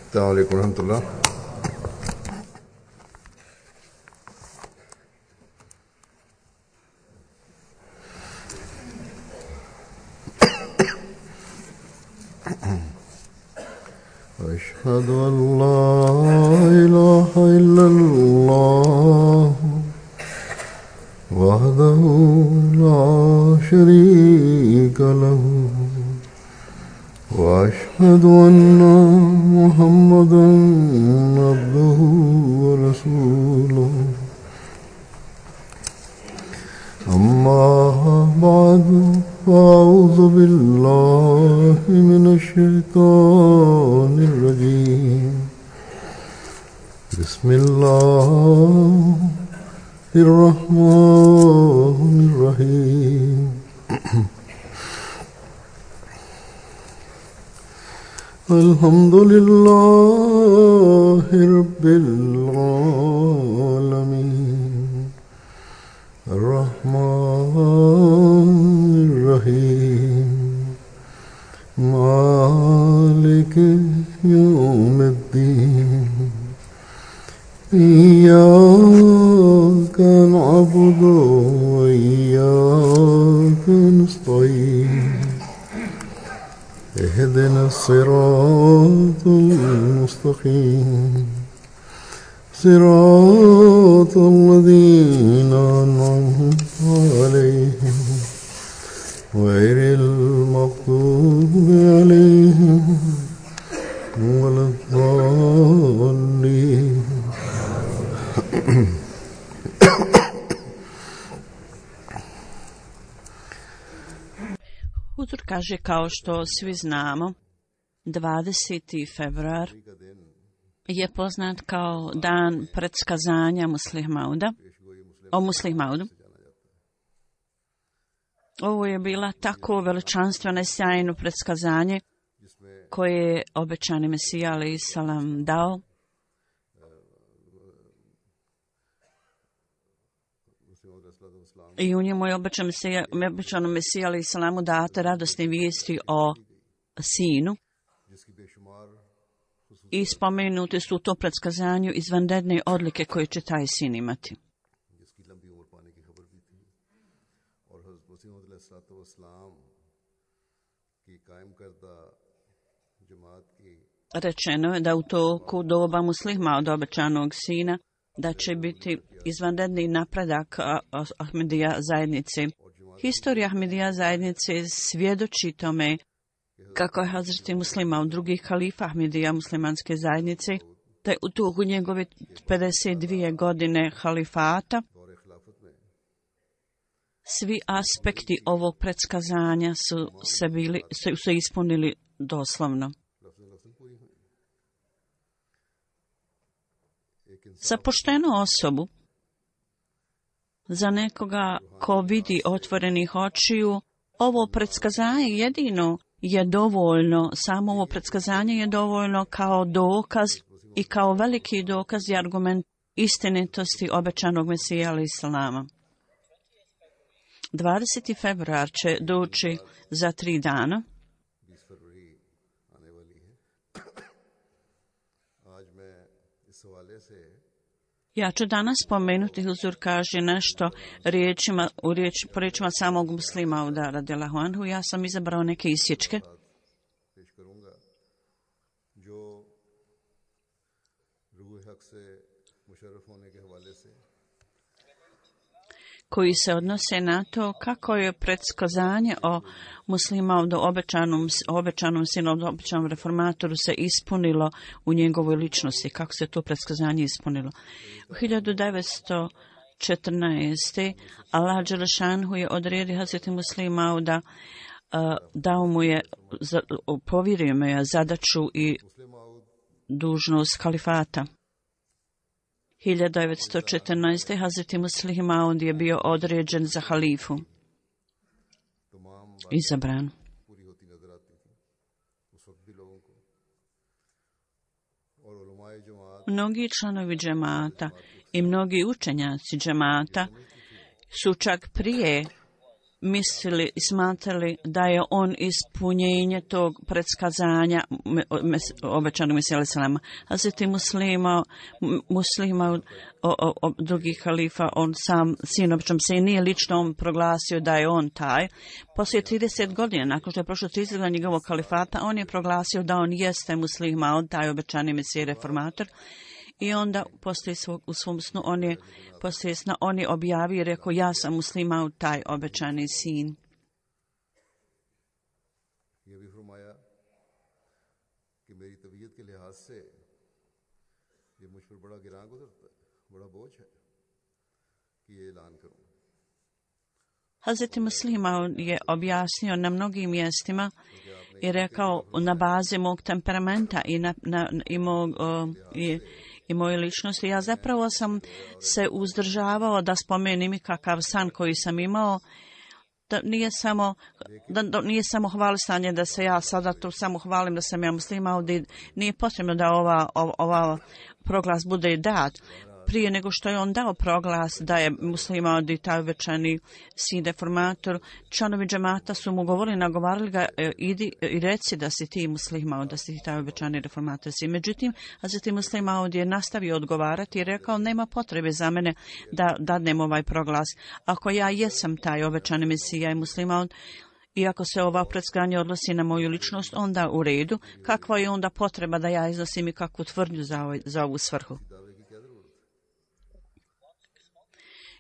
السلام عليكم ورحمة الله. أشهد أن لا إله إلا الله وحده لا شريك له وأشهد أن محمدا عبده ورسوله أما بعد فأعوذ بالله من الشيطان الرجيم بسم الله الرحمن الرحيم الحمد لله رب العالمين الرحمن الرحيم مالك يوم الدين إياك نعبد وإياك نستعين اهدنا الصراط المستقيم صراط الذين أنعمت عليهم غير المغضوب عليهم ولا الضالين. Huzur kaže, kao što svi znamo, 20. februar je poznat kao dan predskazanja o Muslih Maudu. Ovo je bila tako veličanstveno i sjajno predskazanje koje je obećani Mesija alejhi selam dao. I u njemu je obećano Mesija alejhi selamu date radosne vijesti o sinu. I spomenuti su u to predskazanju izvanredne odlike koje će taj sin imati. Rečeno je da u toku doba Muslih Mauda obećanog sina da će biti izvanredni napredak Ahmedija zajednice. Historija Ahmedija zajednice svjedoči tome kako je Hazreti Muslih Maud, drugi halifa Ahmedija muslimanske zajednice, te u toku njegove 52 godine halifata svi aspekti ovog predskazanja su se ispunili doslovno. Za poštenu osobu, za nekoga ko vidi otvorenih očiju, ovo predskazanje jedino je dovoljno, samo ovo predskazanje je dovoljno kao dokaz i kao veliki dokaz i argument istinitosti obećanog Mesija alejhi selama. 20. februar će doći za 3 dana. Ja ću danas spomenuti, Huzur kaže nešto po riječima samog Muslih Mauda radijallahu anhu. Ja sam izabrao neke isječke koji se odnose na to kako je predskazanje o Muslih Maudu, obećanom sinu, obećanom reformatoru se ispunilo u njegovoj ličnosti, kako se to predskazanje ispunilo. U 1914. Allah dželešanhu je odredio Hazreti Muslih Mauda, povjerio mu je zadaću i dužnost kalifata. 1914. Hazreti Muslih Maud je bio određen za halifu, izabran. Mnogi članovi džemata i mnogi učenjaci džemata su čak prije mislili i smatrali da je on ispunjenje tog predskazanja obećanog Mesija alejhi selama. Hazreti Muslima drugih halifa, on sam sin običnom se nije lično on proglasio da je on taj. Poslije 30 godina, nakon što je prošlo 30 godina njegovog kalifata, on je proglasio da on jeste Muslima, on taj obećani Mesija reformator. I onda u svom snu on je objavio i rekao, ja sam Muslima, taj obećani sin. Hazreti Muslima je objasnio na mnogim mjestima i rekao na bazi mog temperamenta i moje ličnosti. Ja zapravo sam se uzdržavao da spomenem i kakav san koji sam imao, da nije samo hvalisanje da se ja sada tu samo hvalim da sam ja Muslima, ovdje nije potrebno da ova proglas bude dat. Prije nego što je on dao proglas da je Muslima i taj obećani sin reformator, članovi džemata su mu nagovarali ga, idi i reci da si ti Muslima, da si ti taj obećani reformator sin. Međutim, Hazreti Muslima ovdje je nastavio odgovarati i rekao, nema potrebe za mene da dadnem ovaj proglas. Ako ja jesam taj obećani Mesija i Muslima, iako se ova predskazanje odnosi na moju ličnost, onda u redu. Kakva je onda potreba da ja iznosim i kakvu tvrdnju za ovu svrhu?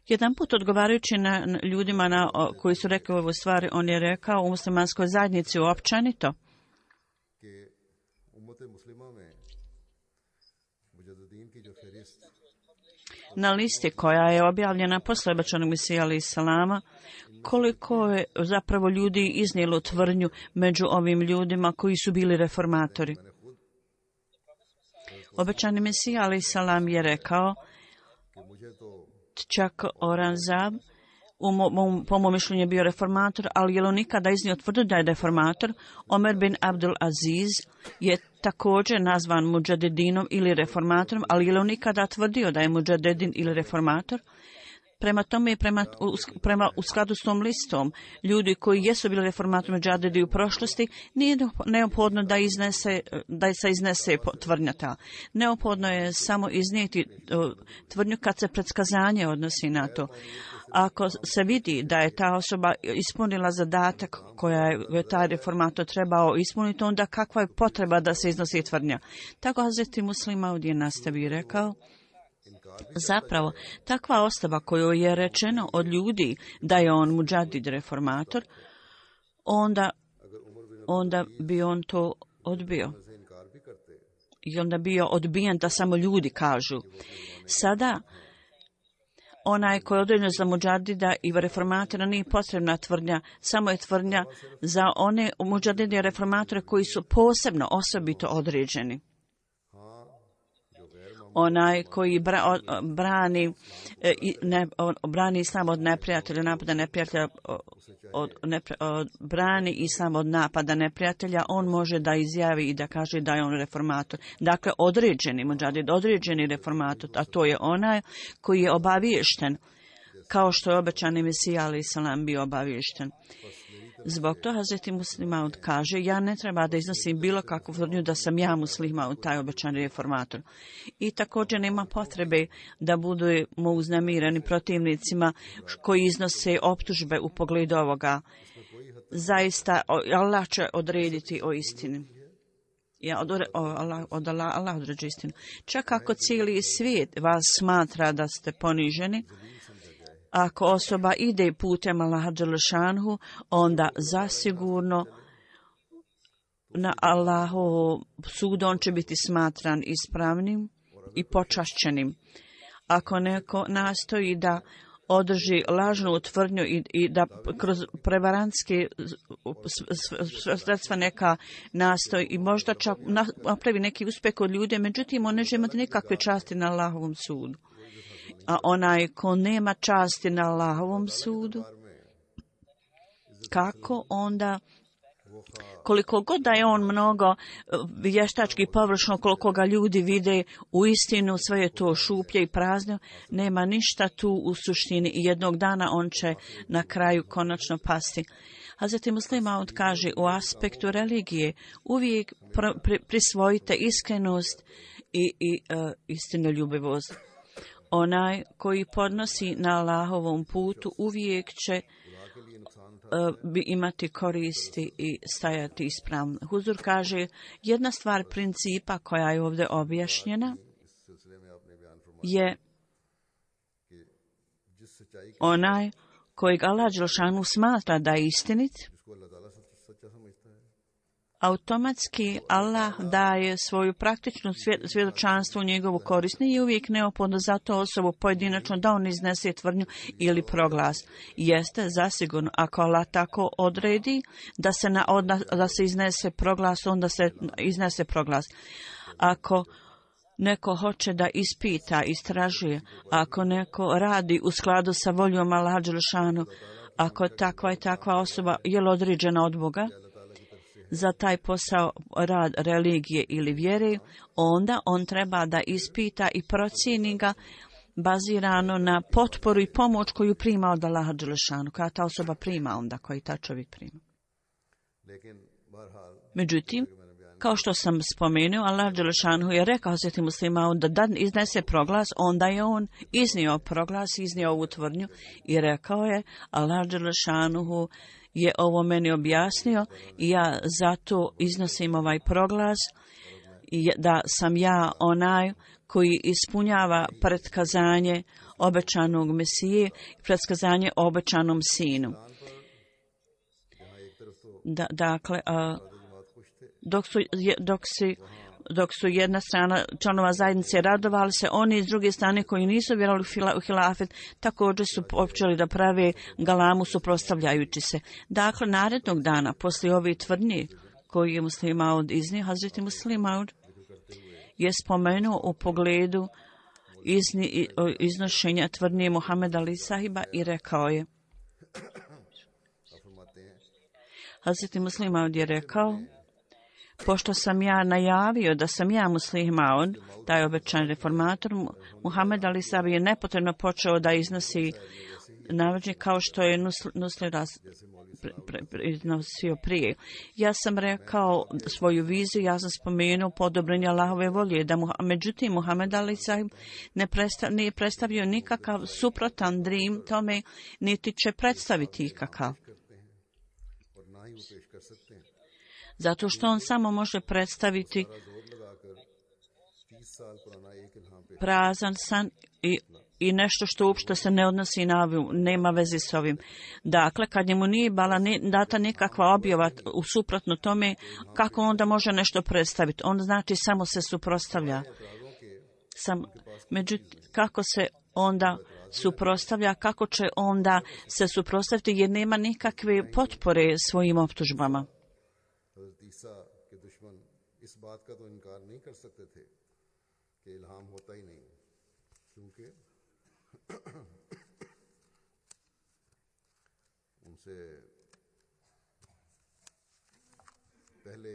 Jedan put odgovarajući na ljudima koji su rekli ovu stvari, on je rekao u muslimanskoj zajednici uopćenito na listi koja je objavljena posle obećanog Mesija alejhi selama, koliko je zapravo ljudi iznijelo tvrdnju među ovim ljudima koji su bili reformatori. Obećani Mesija alejhi selam je rekao, čak Oranzab, po mom mišljenju je bio reformator, ali je on nikada iznio tvrdio da je reformator. Omer bin Abdul Aziz je također nazvan muđadedinom ili reformatorom, ali je on nikada tvrdio da je muđadedin ili reformator. Prema tome, u skladu s tom listom, ljudi koji jesu bili reformatori muđadedi u prošlosti, nije neophodno da se iznese tvrdnja ta. Neophodno je samo iznijeti tvrdnju kad se predskazanje odnosi na to. Ako se vidi da je ta osoba ispunila zadatak koja je taj reformator trebao ispuniti, onda kakva je potreba da se iznosi tvrdnja? Tako Hazreti Muslima ovdje nastavi i rekao, zapravo, takva osoba koju je rečeno od ljudi da je on muđadid reformator, onda bi on to odbio. I onda bio odbijen da samo ljudi kažu. Sada, onaj koji je određen za muđadida i reformatora nije potrebna tvrdnja, samo je tvrdnja za one muđadide i reformatore koji su posebno osobito određeni. Onaj koji brani islam od neprijatelja, napada neprijatelja, brani islam od napada neprijatelja, on može da izjavi i da kaže da je on reformator. Dakle, određeni muđadid, određeni reformator, a to je onaj koji je obaviješten, kao što je obećani Mesija alejhi selam bio obaviješten. Zbog toga Hazreti Muslima kaže, ja ne treba da iznosim bilo kakvu tvrdnju da sam ja Muslima, taj obećani reformator. I također nema potrebe da budemo uznemireni protivnicima koji iznose optužbe u pogledu ovoga. Zaista, Allah će odrediti o istini. Allah određuje istinu. Čak ako cijeli svijet vas smatra da ste poniženi, ako osoba ide putem Allaha dželešanhu, onda zasigurno na Allahovu sudu on će biti smatran ispravnim i počašćenim. Ako neko nastoji da održi lažnu tvrdnju i da kroz prevarantske sredstva neka nastoji i možda čak napravi neki uspjeh od ljude, međutim on neće imati nikakve časti na Allahovom sudu. A onaj ko nema časti na Allahovom sudu, kako onda koliko god da je on mnogo vještački površno, koliko ga ljudi vide, u istinu sve je to šuplje i prazno, nema ništa tu u suštini i jednog dana on će na kraju konačno pasti. Hazreti Muslih Maud kaže, u aspektu religije uvijek prisvojite iskrenost i istinoljubivost. Onaj koji podnosi na Allahovom putu uvijek će imati koristi i stajati ispravno. Huzur kaže, jedna stvar principa koja je ovdje objašnjena je onaj kojeg Allah dželešanu smatra da je istinit, automatski Allah daje svoju praktičnu svjedočanstvo u njegovu korist. Nije uvijek neophodno za to osobu pojedinačno da on iznese tvrdnju ili proglas. Jeste zasigurno, ako Allah tako odredi da se iznese proglas, onda se iznese proglas. Ako neko hoće da ispita, istražuje, ako neko radi u skladu sa voljom Allaha dželešanu, ako takva i takva osoba je određena od Boga za taj posao, rad religije ili vjere, onda on treba da ispita i procijeni ga bazirano na potporu i pomoć koju prima od Allaha dželešanu, koja ta osoba prima onda, koji ta čovjek prima. Međutim, kao što sam spomenuo, Allah dželešanu je rekao Hazreti Muslima da iznese proglas, onda je on iznio proglas, iznio ovu tvrdnju i rekao je, Allah dželešanu je ovo meni objasnio i ja zato iznosim ovaj proglas i da sam ja onaj koji ispunjava pretkazanje obećanog Mesije, pretkazanje obećanom sinu. Dakle, dok su jedna strana članova zajednice radovali se, oni s druge strane koji nisu vjerovali u hilafet također su počeli da prave galamu suprotstavljajući se. Dakle, narednog dana, poslije ove tvrdnje koju je Muslih Maud iznio, Hazreti Muslih Maud je spomenuo u pogledu iznošenja tvrdnje Muhameda Ali Sahiba i rekao je, Hazreti Muslih Maud je rekao, pošto sam ja najavio da sam ja Muslih Maud, taj obećani reformator, Muhammed Ali Sahib je nepotrebno počeo da iznosi navođenje kao što je Nusli iznosio prije. Ja sam rekao svoju viziju, ja sam spomenuo podobrenje Allahove volje, međutim Muhammed Ali Sahib nije predstavio nikakav suprotan dream tome, niti će predstaviti ikakav. Zato što on samo može predstaviti prazan san i nešto što uopšte se ne odnosi na ovim, nema veze s ovim. Dakle, kad njemu nije bila data nikakva objava u suprotno tome, kako onda može nešto predstaviti? On znači samo se suprotstavlja. Međutim, kako se onda suprotstavlja, kako će onda se suprotstaviti jer nema nikakve potpore svojim optužbama. ईसा के दुश्मन इस बात का तो इनकार नहीं कर सकते थे कि इल्हाम होता ही नहीं, क्योंकि उनसे पहले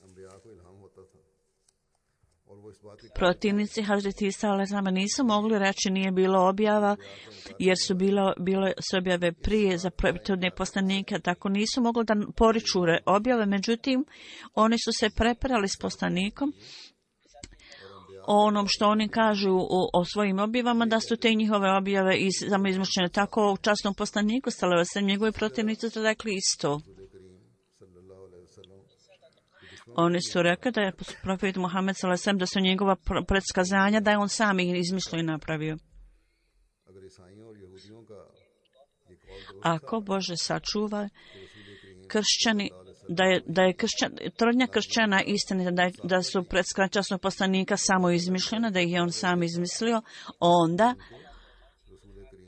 अंबिया को इल्हाम होता था. Protivnici Hazreti Isa alejhi nisu mogli reći nije bilo objava, jer su bile objave prije za prethodne poslanike, tako nisu mogli da poriču objave, međutim oni su se prepirali s poslanikom o onom što oni kažu o svojim objavama, da su te njihove objave samo izmišljene. Tako u časnom poslaniku sallallahu alejhi ve sellem njegovi protivnici su rekli isto. Oni su rekli da je profet Muhammed sallallahu alejhi ve sellem, da su njegova predskazanja, da je on sam ih izmislio i napravio. Ako Bože sačuva kršćani, da je tvrdnja kršćana istinita, da su predskazanja poslanika samo izmišljena, da ih je on sam izmislio, onda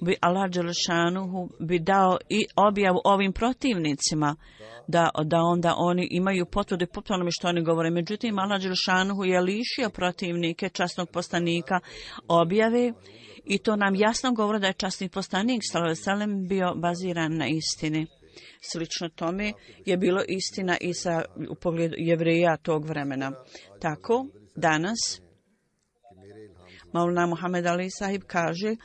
bi Allah dželešanuhu bi dao i objavu ovim protivnicima, da onda oni imaju potvrdu po onome što oni govore. Međutim, Allah dželešanuhu je lišio protivnike časnog poslanika objave i to nam jasno govori da je časni poslanik sallallahu alejhi ve sellem bio baziran na istini. Slično tome je bilo istina i u pogledu Jevreja tog vremena. Tako, danas, Maulana Muhammed Ali Sahib kaže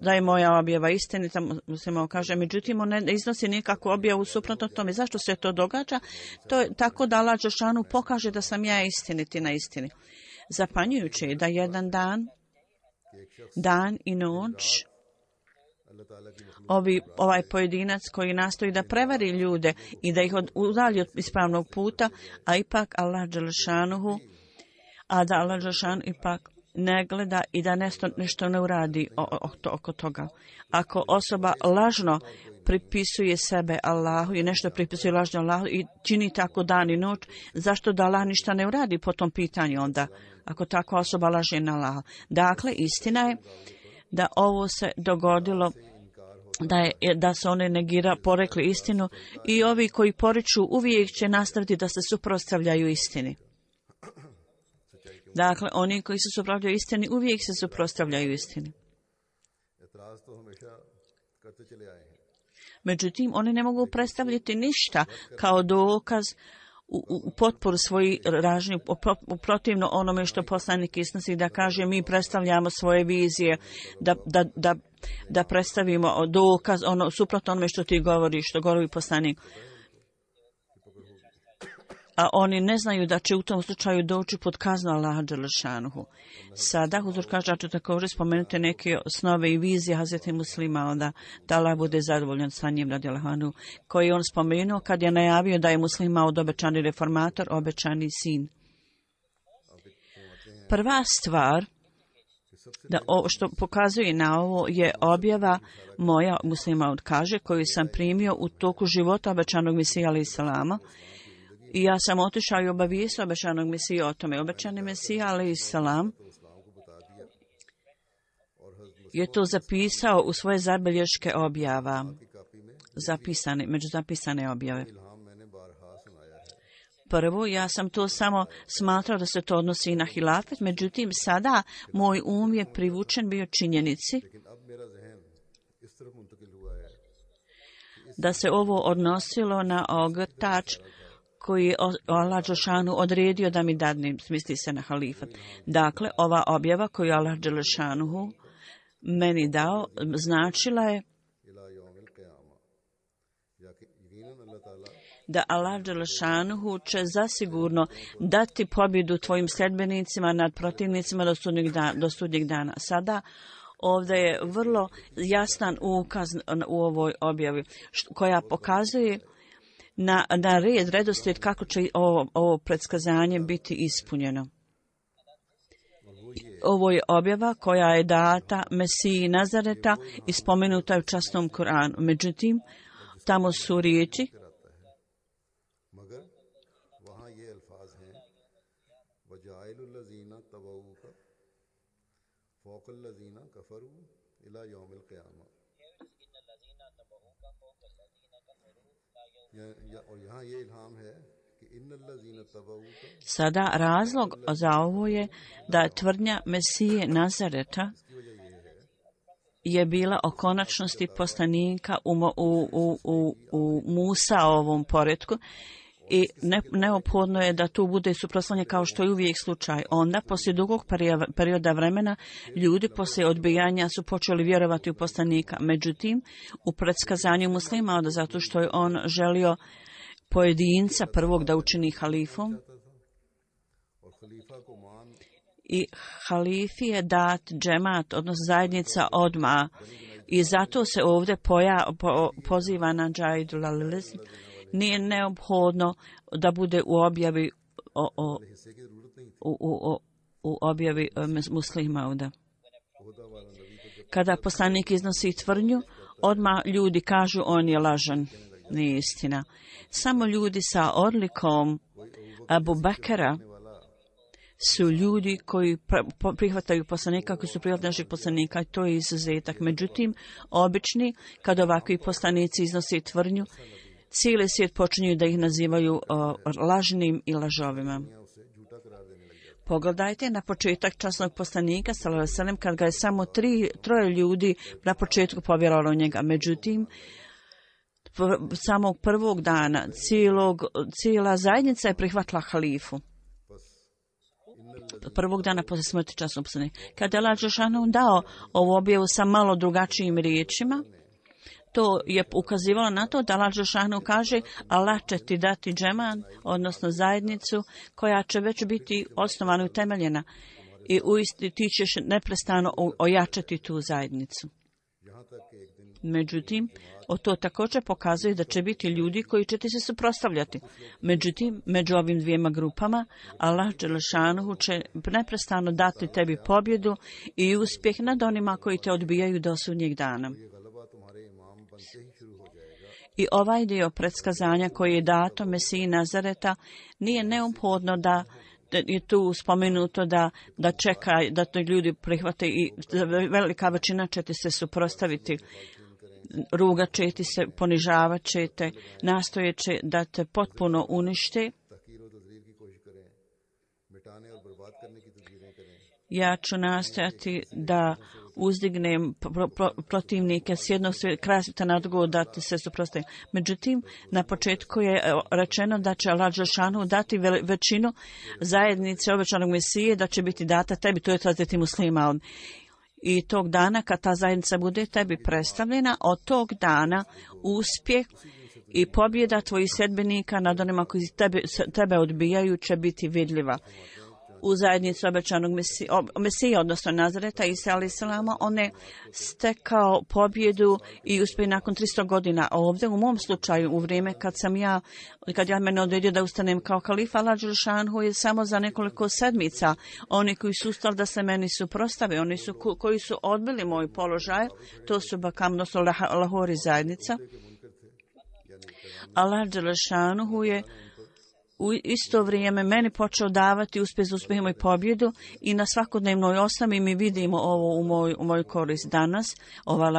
da je moja objava istinita, muslimao kaže, međutim on ne iznosi nikakvu objavu suprotno tome. Zašto se to događa? To je tako da Allah dželešanu pokaže da sam ja istiniti na istini. Zapanjujuće je da jedan dan i noć, ovaj pojedinac koji nastoji da prevari ljude i da ih udalji od ispravnog puta, a ipak Allah dželešanu, ipak ne gleda i da nešto ne uradi oko toga. Ako osoba lažno pripisuje sebe Allahu i nešto pripisuje lažno Allahu i čini tako dan i noć, zašto da Allah ništa ne uradi po tom pitanju onda, ako takva osoba laže na Allaha? Dakle, istina je da ovo se dogodilo, da se one porekli istinu i ovi koji poriču uvijek će nastaviti da se suprotstavljaju istini. Dakle, oni koji se suprotstavljaju istini uvijek se suprotstavljaju istini. Međutim, oni ne mogu predstavljati ništa kao dokaz u potporu svojih ražnji, protivno onome što poslanik iznosi, da kaže mi predstavljamo svoje vizije, da predstavimo dokaz, suprotno onome što ti govoriš, što govori poslanik. A oni ne znaju da će u tom slučaju doći pod kaznu Allaha dželešanuhu. Sada Huzur kaže, ću također spomenuti neke snove i vizije Hazreti Muslima, onda da Allah bude zadovoljan sa njim radijallahu anhu, koji on spomenuo kad je najavio da je Muslima od obećani reformator, obećani sin. Prva stvar što pokazuje na ovo je objava moja, Muslima kaže, koju sam primio u toku života obećanog Mesija alejhi selama. I ja sam otišao i obavijestio obećanog Mesija o tome. Obećani Mesija alejhi selam je to zapisao u svoje zabilješke objava, među zapisane objave. Prvo, ja sam to samo smatrao da se to odnosi i na hilafet, međutim sada moj je privučen bio činjenici da se ovo odnosilo na ogrtač koji je Allah dželešanu odredio da mi dadne, misli se na halifat. Dakle, ova objava koju Allah dželešanu meni dao, značila je da Allah dželešanu će zasigurno dati pobjedu tvojim sljedbenicima nad protivnicima do sudnjeg dana. Sada ovdje je vrlo jasan ukaz u ovoj objavi koja pokazuje na redoslijed kako će ovo predskazanje biti ispunjeno. Ovo je objava koja je data Mesiji Nazareta i spomenuta je u časnom Kuranu. Međutim, tamo su riječi Sada razlog za ovo je da tvrdnja Mesije Nazareta je bila o konačnosti poslanika u Musa ovom poretku i neophodno je da tu bude suprotstavljanje kao što je uvijek slučaj. Onda, poslije dugog perioda vremena, ljudi poslije odbijanja su počeli vjerovati u poslanika. Međutim, u predskazanju Muslima, zato što je on želio pojedinca prvog da učini halifom, i halifi je dat džemat, odnosno zajednica odmah. I zato se ovdje poziva na džaidul alilizm. Nije neophodno da bude u objavi u objavi Muslima ovdje. Kada poslanik iznosi tvrdnju, odmah ljudi kažu on je lažan. Nije istina. Samo ljudi sa odlikom Abu Bekra su ljudi koji prihvataju poslanika, koji su prihvatili naših poslanika, i to je izuzetak. Međutim, obični, kad ovakvi poslanici iznose tvrdnju, cijeli svijet počinju da ih nazivaju lažnim i lažovima. Pogledajte na početak časnog poslanika, sallallahu alejhi ve sellem, kad ga je samo troje ljudi na početku povjerovalo u njega. Međutim, samog prvog dana cijela zajednica je prihvatila halifu. Prvog dana poslije smrti časnog poslanika. Kada je Allah dželešanu dao ovu objavu sa malo drugačijim riječima, to je ukazivalo na to da Allah dželešanu kaže Allah će ti dati džeman, odnosno zajednicu koja će već biti osnovana i utemeljena i ti ćeš neprestano ojačati tu zajednicu. Međutim, to također pokazuje da će biti ljudi koji će ti se suprotstavljati. Međutim, među ovim dvijema grupama Allah dželešanu će neprestano dati tebi pobjedu i uspjeh nad onima koji te odbijaju do sudnjeg dana. I ovaj dio predskazanja koji je dato Mesiji Nazareta nije neophodno da je tu spomenuto da čeka da to ljudi prihvate i velika većina će ti se suprotstaviti. Rugat će ti se, ponižavat će te, nastoje će da te potpuno unište. Ja ću nastojati da uzdignem protivnike s jednog kraja svijeta na drugo da ti se suprotstavi. Međutim, na početku je rečeno da će Allah dželešanu dati većinu zajednice obećanog Mesije, da će biti data tebi, to je Hazreti Muslima. I tog dana kad ta zajednica bude tebi predstavljena, od tog dana uspjeh i pobjeda tvojih sledbenika nad onima koji tebe odbijaju će biti vidljiva. U zajednici obećanog Mesije, odnosno Nazareta, Isa alejhi selama, on je stekao pobjedu i uspjeh nakon 300 godina. A ovdje u mom slučaju, u vrijeme kad ja mene odredio da ustanem kao kalifa, Allah dželešanu je samo za nekoliko sedmica. Oni koji su ustali da se meni suprotstave, oni koji su odbili moj položaj, to su Bakam, odnosno Lahori zajednica. Allah dželešanu je u isto vrijeme meni počeo davati uspjeh za uspjehom i pobjedu i na svakodnevnoj osnovi mi vidimo ovo u moj korist danas. Ova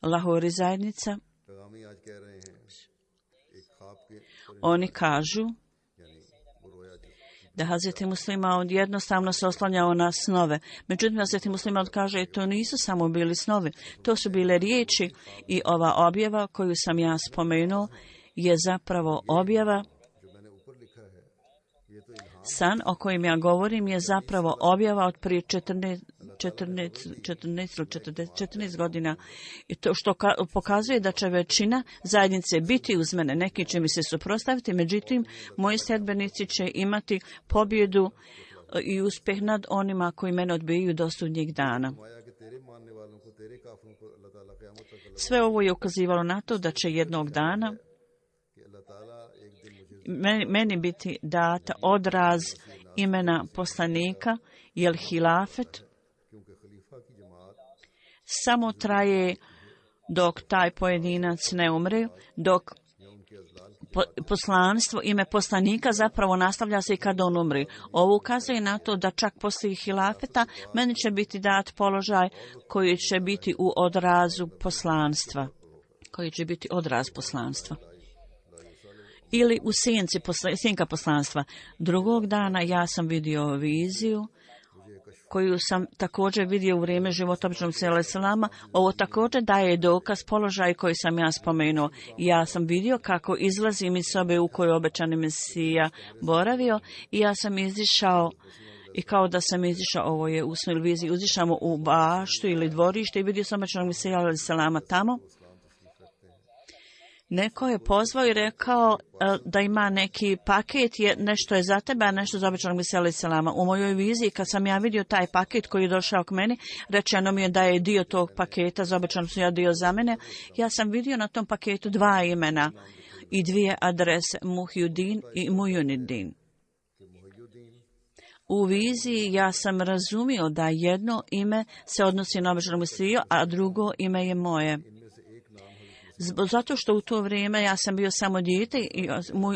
Lahori zajednica. Oni kažu da Hazreti Muslima jednostavno se oslanjao na snove. Međutim, Hazreti Muslima kaže to nisu samo bili snovi, to su bile riječi i ova objava koju sam ja spomenuo je zapravo objava. San o kojem ja govorim je zapravo objava od prije 14 godina. I to što pokazuje da će većina zajednice biti uz mene. Neki će mi se suprotstaviti, međutim, moji sledbenici će imati pobjedu i uspjeh nad onima koji mene odbijaju do sudnjeg dana. Sve ovo je ukazivalo na to da će jednog dana meni biti data odraz imena poslanika, jer hilafet samo traje dok taj pojedinac ne umre, dok poslanstvo, ime poslanika zapravo nastavlja se i kad on umri. Ovo ukazuje na to da čak poslije hilafeta meni će biti dat položaj koji će biti u odrazu poslanstva. Koji će biti odraz poslanstva. Ili u sjenka poslanstva. Drugog dana ja sam vidio viziju koju sam također vidio u vrijeme života običnog Mesije alejhi selama. Ovo također daje dokaz položaj koji sam ja spomenuo. Ja sam vidio kako izlazim iz sobe u kojoj obećani Mesija boravio i ja sam izišao i kao da sam izišao, ovo je u snoj viziji, izišao u baštu ili dvorište i vidio sam obećanog Mesija alejhi selama tamo. Neko je pozvao i rekao da ima neki paket, nešto je za tebe, a nešto za obećanog Mesija alejhi selama. U mojoj viziji, kad sam ja vidio taj paket koji je došao k meni, rečeno mi je da je dio tog paketa za obećanog Mesija dio za mene. Ja sam vidio na tom paketu 2 imena i 2 adrese, Muhyiddin i Muyuniddin. U viziji ja sam razumio da jedno ime se odnosi na obećanog Mesiju, a drugo ime je moje. Zato što u to vrijeme ja sam bio samo dijete i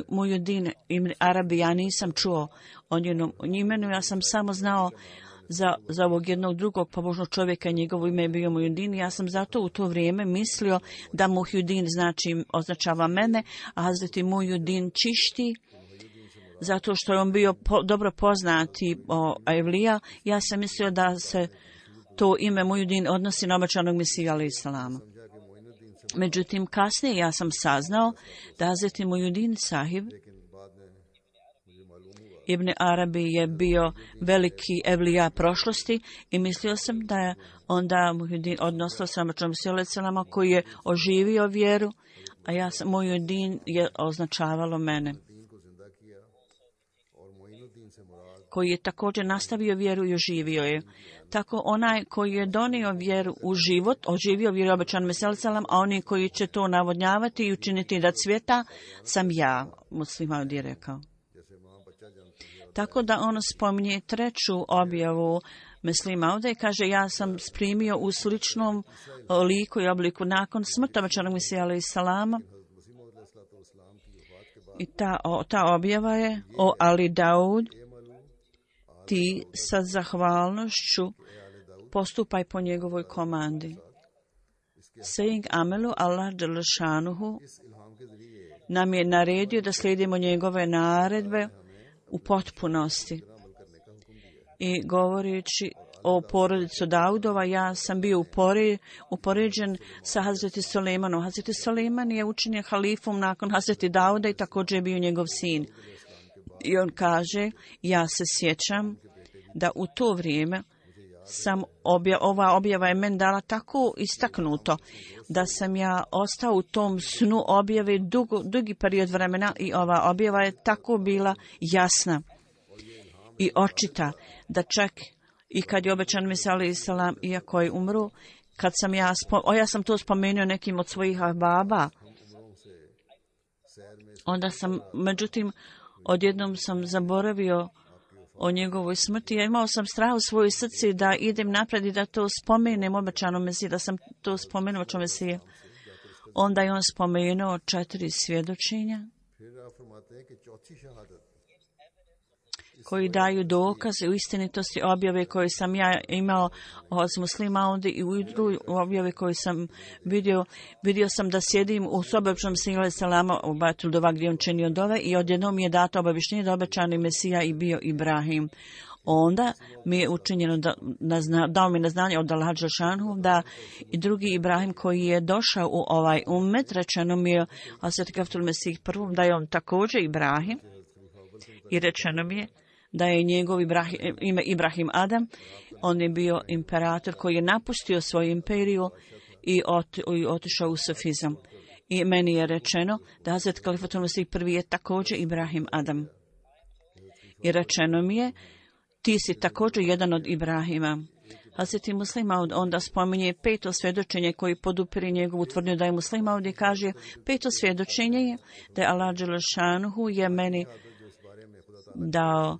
Muhyiddin ibn Arabi ja nisam čuo o njenom imenu, ja sam samo znao za ovog jednog drugog pobožnog čovjeka, njegovo ime je bio Muhyiddin. Ja sam zato u to vrijeme mislio da Muhyiddin označava mene, a Hazreti Muhyiddin Čišti, zato što je on bio dobro poznati evlija. Ja sam mislio da se to ime Muhyiddin odnosi na obećanog Mesija alejhi selama. Međutim, kasnije ja sam saznao da Hazreti Muhyiddin Sahib Ibn Arabi je bio veliki evlija prošlosti i mislio sam da je onda Muhyiddin, odnosno Samačom Selama, koji je oživio vjeru, a ja sam, Muhyiddin je označavalo mene, koji je također nastavio vjeru i oživio je. Tako onaj koji je donio vjeru u život, oživio vjeru obećan Meselam, a oni koji će to navodnjavati i učiniti da cvjeta, sam ja, muslima je rekao. Tako da on spominje treću objavu Meslima ovdje i kaže, ja sam primio u sličnom liku i obliku nakon smrti obećanog Mesija alejhi salama. I ta objava je o Ali Daud, ti sa zahvalnošću postupaj po njegovoj komandi. Saying Amelu Allah Đelešanuhu nam je naredio da slijedimo njegove naredbe u potpunosti. I govoreći o porodicu Daudova, ja sam bio upoređen sa Hazreti Sulejmanom. Hazreti Sulejman je učinjen halifom nakon Hazreti Dauda i također je bio njegov sin. I on kaže, ja se sjećam da u to vrijeme ova objava je meni dala tako istaknuto da sam ja ostao u tom snu objave dugi period vremena i ova objava je tako bila jasna i očita da čak i kad je obećan Mesija alejhi salam, iako je umro, kad sam ja sam to spomenuo nekim od svojih baba, onda sam, međutim, odjednom sam zaboravio o njegovoj smrti. Ja imao sam strah u svojoj srci da idem napred i da to spomenem obećanom Mesiji, da sam to spomenuo obećanom Mesiji. Onda je on spomenuo 4 svjedočenja koji daju dokaze u istinitosti objave koje sam ja imao od muslima ovdje i u drugoj objave koje sam vidio sam da sjedim u sobi obećanog Mesija alejhi salama u Bajtul Dova gdje on činio dove i odjednom mi je dato obavještenje da obećani Mesija i bio Ibrahim. Onda mi je učinjeno dao mi na znanje od Allaha Đelešanuhu da i drugi Ibrahim koji je došao u ovaj ummet, rečeno mi je Hazreti Kaftul Mesih prvom da je on također Ibrahim i rečeno mi je da je njegov ime Ibrahim Adam. On je bio imperator koji je napustio svoju imperiju i otišao u sufizam. I meni je rečeno da Hazret Kalifatul Mesih prvi je također Ibrahim Adam. I rečeno mi je, ti si također jedan od Ibrahima. Hazreti Muslima onda spominje 5. svjedočenje koji podupire njegovu tvrdnju da je Muslima ovdje kaže 5. svjedočenje je da je Allah Đelešanuhu je meni dao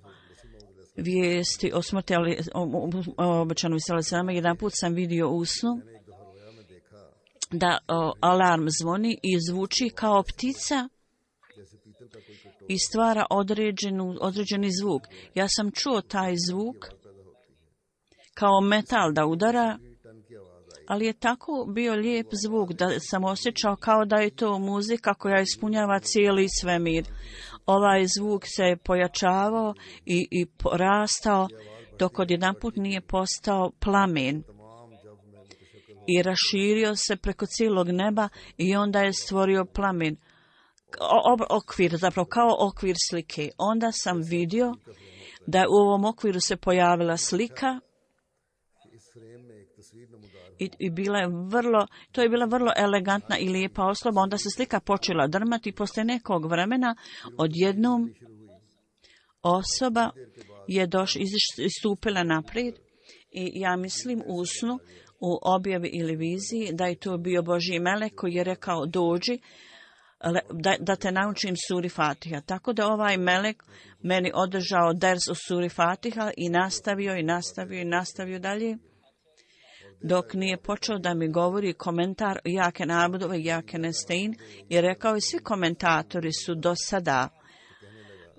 vijesti o smrti obećanog Mesija alejhi salama. Jedan put sam vidio u snu da alarm zvoni i zvuči kao ptica i stvara određeni zvuk. Ja sam čuo taj zvuk kao metal da udara, ali je tako bio lijep zvuk da sam osjećao kao da je to muzika koja ispunjava cijeli svemir. Ovaj zvuk se pojačavao i porastao dok odjedanput nije postao plamen i raširio se preko cijelog neba i onda je stvorio plamen. Okvir, zapravo kao okvir slike. Onda sam vidio da u ovom okviru se pojavila slika i to je bila vrlo elegantna i lijepa osoba. Onda se slika počela drmati i poslije nekog vremena odjednom osoba je istupila naprijed i ja mislim u snu, u objavi ili viziji da je to bio Božji melek koji je rekao dođi da te naučim suri Fatiha. Tako da ovaj melek meni održao ders u suri Fatiha i nastavio dalje dok nije počeo da mi govori komentar Jake Nabudove i Jake Nestein i rekao je svi komentatori su do sada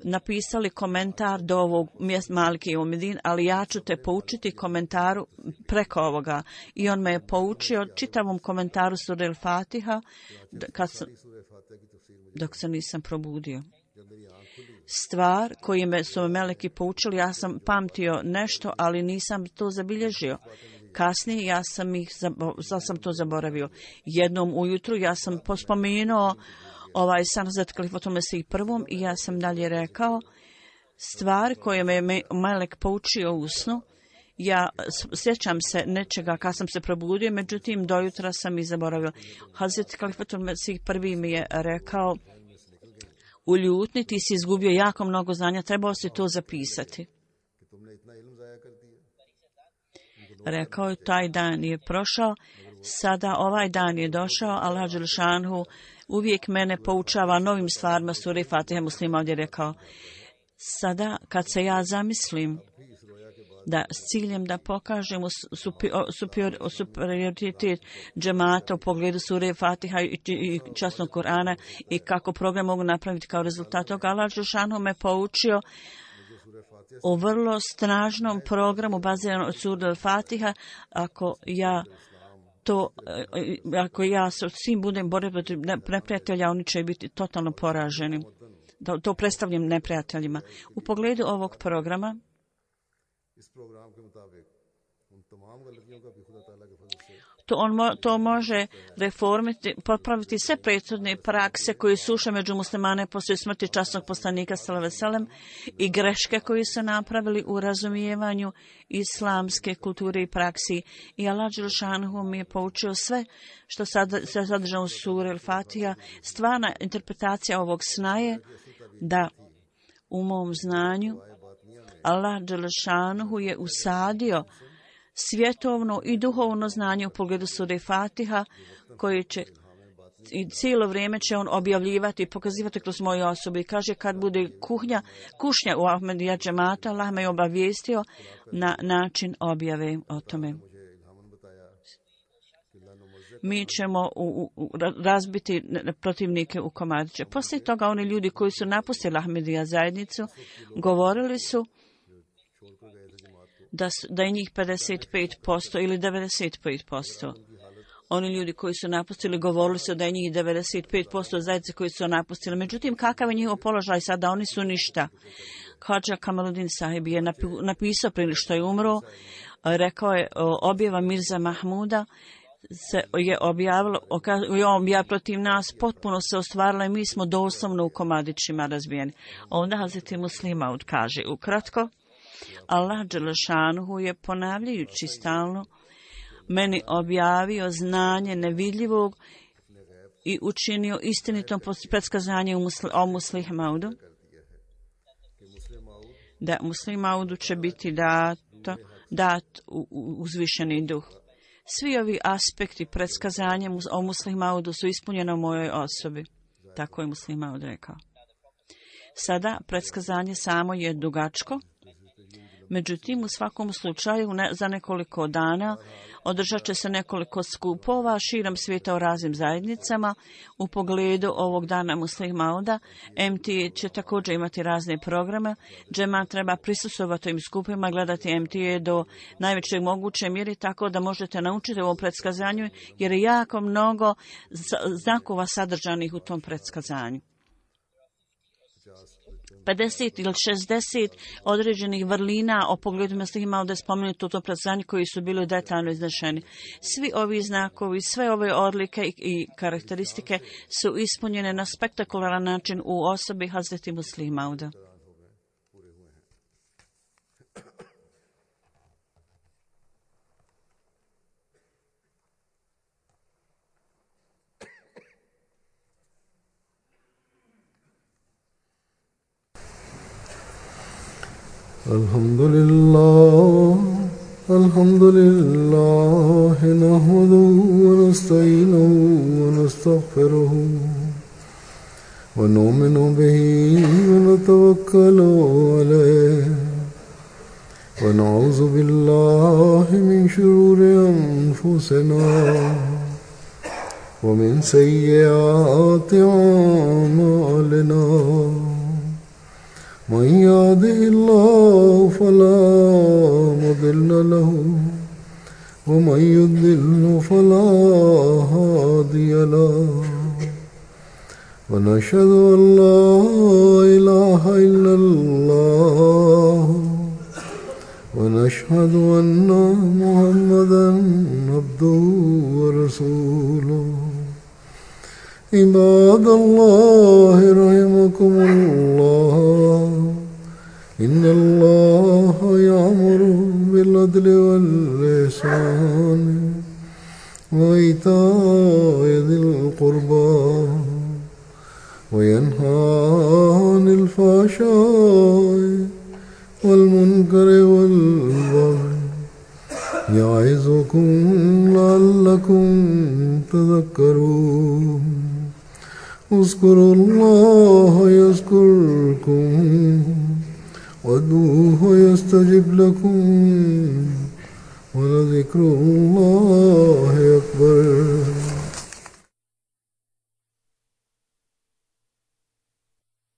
napisali komentar do ovog mjesta Maliki i Umedin, ali ja ću te poučiti komentaru preko ovoga. I on me je poučio čitavom komentaru sure El-Fatiha dok se nisam probudio. Stvar koju su me meleki poučili, ja sam pamtio nešto, ali nisam to zabilježio. Kasnije ja sam to zaboravio. Jednom ujutru ja sam pospomenuo ovaj san za Kalifatul Mesih prvom i ja sam dalje rekao stvar koje me Melek poučio u snu. Ja sjećam se nečega kad sam se probudio, međutim do jutra sam i zaboravio. Hazret Kalifatul Mesih prvi mi je rekao u ljutni ti si izgubio jako mnogo znanja, trebao si to zapisati. Rekao je taj dan je prošao, sada ovaj dan je došao, Allah dželle šanhu uvijek mene poučava novim stvarima. Sure Fatiha Muslima ovdje rekao. Sada kad se ja zamislim da s ciljem da pokažemo superioritet džemata u pogledu sure Fatiha i časnog Kur'ana i kako program mogu napraviti kao rezultat toga, Allah dželle šanhu me poučio o vrlo snažnom programu baziranom od sure Fatiha. Ako ja sa svim budem borio protiv neprijatelja, oni će biti totalno poraženi. To predstavljam neprijateljima. U pogledu ovog programa to može reformiti, popraviti sve prethodne prakse koje su ušle među muslimane poslije smrti časnog poslanika sallallahu alejhi ve sellem i greške koje su napravili u razumijevanju islamske kulture i praksi. I Allah dželle šanhu mi je poučio sve što se sadrža u suri Al-Fatiha. Stvarna interpretacija ovog sna je da u mom znanju Allah dželle šanhu je usadio svjetovno i duhovno znanje u pogledu sure Fatiha koje će i cijelo vrijeme će on objavljivati i pokazivati kroz moju osobu. I kaže kad bude kušnja u Ahmedija džemata, Allah me je obavijestio na način objave o tome. Mi ćemo razbiti protivnike u komadiće. Poslije toga oni ljudi koji su napustili Ahmedija zajednicu govorili su da je njih 55% ili 95%. Oni ljudi koji su napustili govorili su da je njih 95% zajednice koji su napustili. Međutim, kakav je njihov položaj sada? Oni su ništa. Hadža Kamaluddin Sahib je napisao prije što je umro, rekao je objava Mirza Mahmuda se je objavilo, protiv nas potpuno se ostvarila i mi smo doslovno u komadićima razbijeni. Onda Hazret Muslih Maud kaže ukratko, Allah dželle šanuhu je ponavljajući stalno meni objavio znanje nevidljivog i učinio istinitom predskazanje o Muslih Maudu, da Muslih Maudu će biti dat uzvišeni duh. Svi ovi aspekti predskazanja o Muslih Maudu su ispunjeni u mojoj osobi. Tako je Muslih Maud rekao. Sada predskazanje samo je dugačko. Međutim, u svakom slučaju za nekoliko dana održat će se nekoliko skupova širom svijeta u raznim zajednicama u pogledu ovog dana Muslih Mauda. MTA će također imati razne programe. Džemat treba prisustvovati im skupima, gledati MTA do najveće moguće mjeri tako da možete naučiti o ovom predskazanju jer je jako mnogo znakova sadržanih u tom predskazanju. 50 ili 60 određenih vrlina o pogledu Muslih Mauda spomenuti u tom predskazanju koji su bili detaljno iznešeni. Svi ovi znakovi, sve ove odlike i karakteristike su ispunjene na spektakularan način u osobi Hazreti Muslih Mauda. Alhamdulillah nahmaduhu wa nasta'inuhu wa nastaghfiruhu wa nu'minu bihi wa natawakkalu alayhi wa na'udhu billahi min shururi anfusina wa min sayyiati a'malina. من يهده الله فلا مضل له ومن يضلل فلا هادي له ونشهد أن لا إله إلا الله ونشهد أن محمدا عبده ورسوله عباد الله رحمكم الله إن الله يأمر بالعدل والإحسان وإيتاء ذي القربى وينهى عن الفحشاء والمنكر والبغي يعظكم لعلكم تذكرون اذكروا الله يذكركم وادعوه يستجب لكم ولذكر الله